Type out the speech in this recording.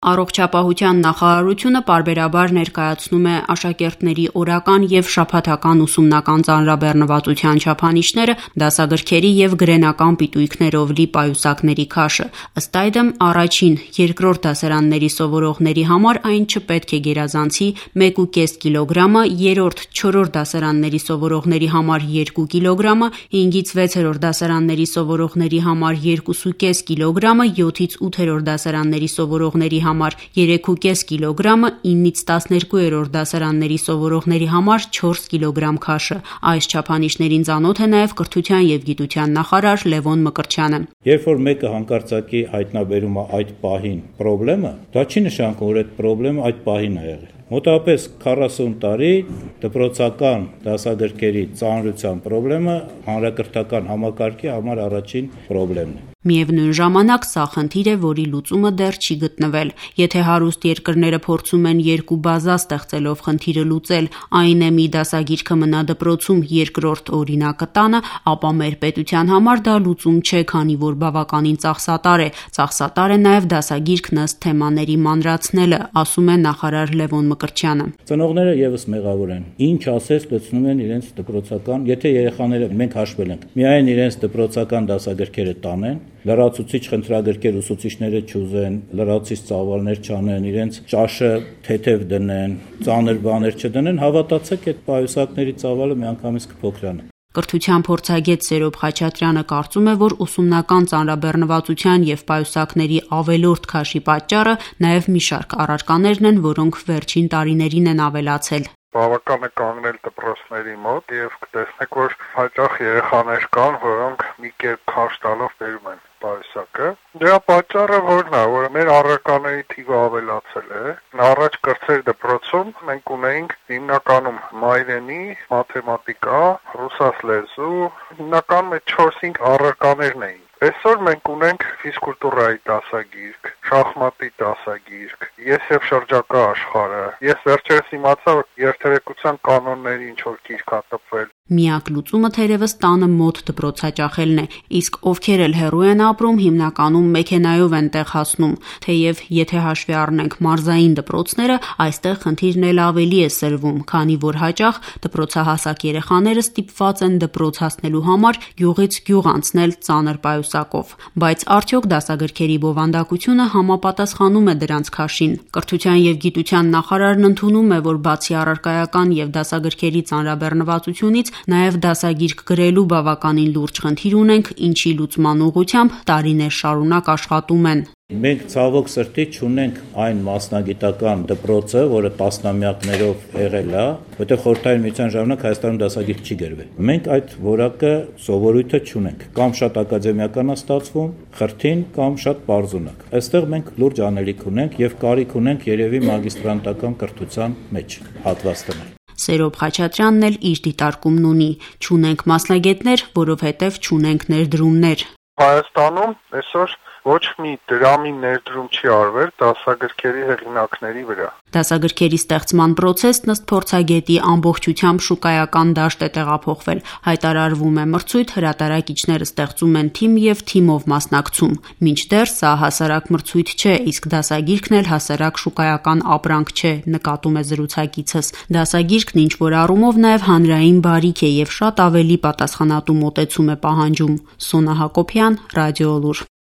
Առողջապահության նախարարությունը պարբերաբար ներկայացնում է աշակերտների օրական և շաբաթական ուսումնական ծանրաբեռնվածության չափանիշները, դասագրքերի և գրենական պիտույքներով լի պայուսակների քաշը: Ըստ այդմ, առաջին, երկրորդ դասարանների սովորողների համար այն չպետք է գերազանցի 1,5 կգ, երրորդ, չորրորդ դասարանների սովորողների համար 2 կգ, 5-ից 6-րդ դասարանների սովորողների համար 2,5 կգ, 7-ից 8-րդ դասարանների սովորողների համար 3,5 կգ, 9-ից 12-րդ դասարանների սովորողների համար 4 կգ քաշը: Այս չափանիշներին ծանոթ է նաև կրթության և գիտության նախարար Լևոն Մկրտչյանը: Երբ որ մեկը հանկարծակի հայտնաբերում է այդ պահին պրոբլեմը, դա չի նշանակում, որ այդ պրոբլեմը այդ պահին է եղել: Մոտավորապես 40 տարի դպրոցական դասագրքերի ծանրության պրոբլեմը հանրակրթական համակարգի համար առաջին պրոբլեմն է: Միևնույն ժամանակ, սա խնդիր է, որի լուծումը դեռ չի գտնվել: Եթե հարուստ երկրները փորձում են երկու բազա ստեղծելով խնդիրը լուծել, այն է մի դասագիրքը մնա դպրոցում, երկրորդ օրինակը տանը, ապա մեր պետության համար դա լուծում չէ, քանի որ բավականին ծախսատար է: Ծախսատար է նաև դասագիրքն ըստ թեմաների մանրացնելը, ասում է նախարար Լևոն Մկրտչյանը: Ծնողները ևս մեղավոր են: Ինչ ասես լցնում են իրենց դպրոցական, եթե երեխաները, մենք հաշվել ենք, միայն իրենց դպրոցական դասագրքերը տանեն, լրացուցիչ խնդրագրքեր ուսուցիչները չուզեն, լրացուցիչ ծավալներ չանեն, իրենց ճաշը թեթև դնեն, ծանր բաներ չդնեն, հավատացեք, այդ պայուսակների ծավալը միանգամից կփոքրանա: Կրթության փորձագետ Սերոբ Խաչատրյանը կարծում է, որ ուսումնական ծանրաբեռնվածության և պայուսակների ավելորդ քաշի պատճառը նաև մի շարք առարկաներն են, որոնք վերջին տարիներին են ավելացել: Բավական է կանգնել դպրոցների մոտ և կտեսնեք, որ հաճախ երեխաներ կան, որոնք մի կերպ քաշ տալով բերում են պայուսակը: Դրա պատճառը որն է, որ մեր առարկաների թիվը ավելացել է: Առաջ կրտսեր դպրոցում մենք ունեինք հիմնականում մայրենի, մաթեմատիկա, ռուսաց լեզու, հիմնականում այդ 4-5 առարկաներն էին: Այսօր մենք ունենք ֆիզկուլտուրայի դասագիրք, շախմատի դասագիրք, ես և շրջակա աշխարհը: Ես վերջերս իմացա, որ երթերեկության կանոնների ինչ-որ գիրք ա տպվել: Միակ լուծումը թերևս տանը մոտ դպրոց հաճախելն է, իսկ ովքեր էլ հեռու են ապրում, հիմնականում մեքենայով են տեղ հասնում: Թեև եթե հաշվի առնենք մարզային դպրոցները, այստեղ խնդիրն էլ ավելի է սրվում, քանի որ հաճախ դպրոցահասակ երեխաները ստիպված են դպրոց հասնելու համար գյուղից գյուղ անցնել ծանր պայուսակով: Բայց արդյոք դասագրքերի բովանդակությունը համապատասխանում է դրանց քաշին: Կրթության և գիտության նախարարն ընդունում է, որ բացի առարկայական և դասագրքերի ծանրաբեռնվածությունից, նաև դասագիրք գրելու բավականին լուրջ խնդիր ունենք, ինչի լուծման ուղղությամբ տարիներ շարունակ աշխատում են: Մենք ցավոք սրտի չունենք այն մասնագիտական դպրոցը, որը տասնամյակներով եղել է, որտեղ Խորհրդային Միության ժամանակ Հայաստանում դասագիրք չի գրվել: Մենք այդ որակը, սովորույթը չունենք: Կամ շատ ակադեմիական է ստացվում, խրթին, կամ շատ պարզունակ: Այստեղ մենք լուրջ անելիք ունենք և կարիք ունենք երևի մագիստրանտական կրթության մեջ հատված դնել: Սերոբ Խաչատրյանն էլ իր դիտարկումն ունի: Չունենք մասնագետներ, որովհետև չունենք ներդրումներ: Հայաստանում այսօր ոչ մի դրամի ներդրում չի արվել դասագրքերի հեղինակների վրա: Դասագրքերի ստեղծման պրոցեսն ըստ փորձագետի ամբողջությամբ շուկայական դաշտ է տեղափոխվել: Հայտարարվում է մրցույթ, հրատարակիչները ստեղծում են թիմ և թիմով մասնակցում: Մինչդեռ սա հասարակ մրցույթ չէ, իսկ դասագիրքն էլ հասարակ շուկայական ապրանք չէ, նկատում է զրուցակիցս: Դասագիրքն ինչ-որ առումով նաև հանրային բարիք է և շատ ավելի պատասխանատու մոտեցում է պահանջում: Սոնա Հակոբյան, Ռադիոլուր: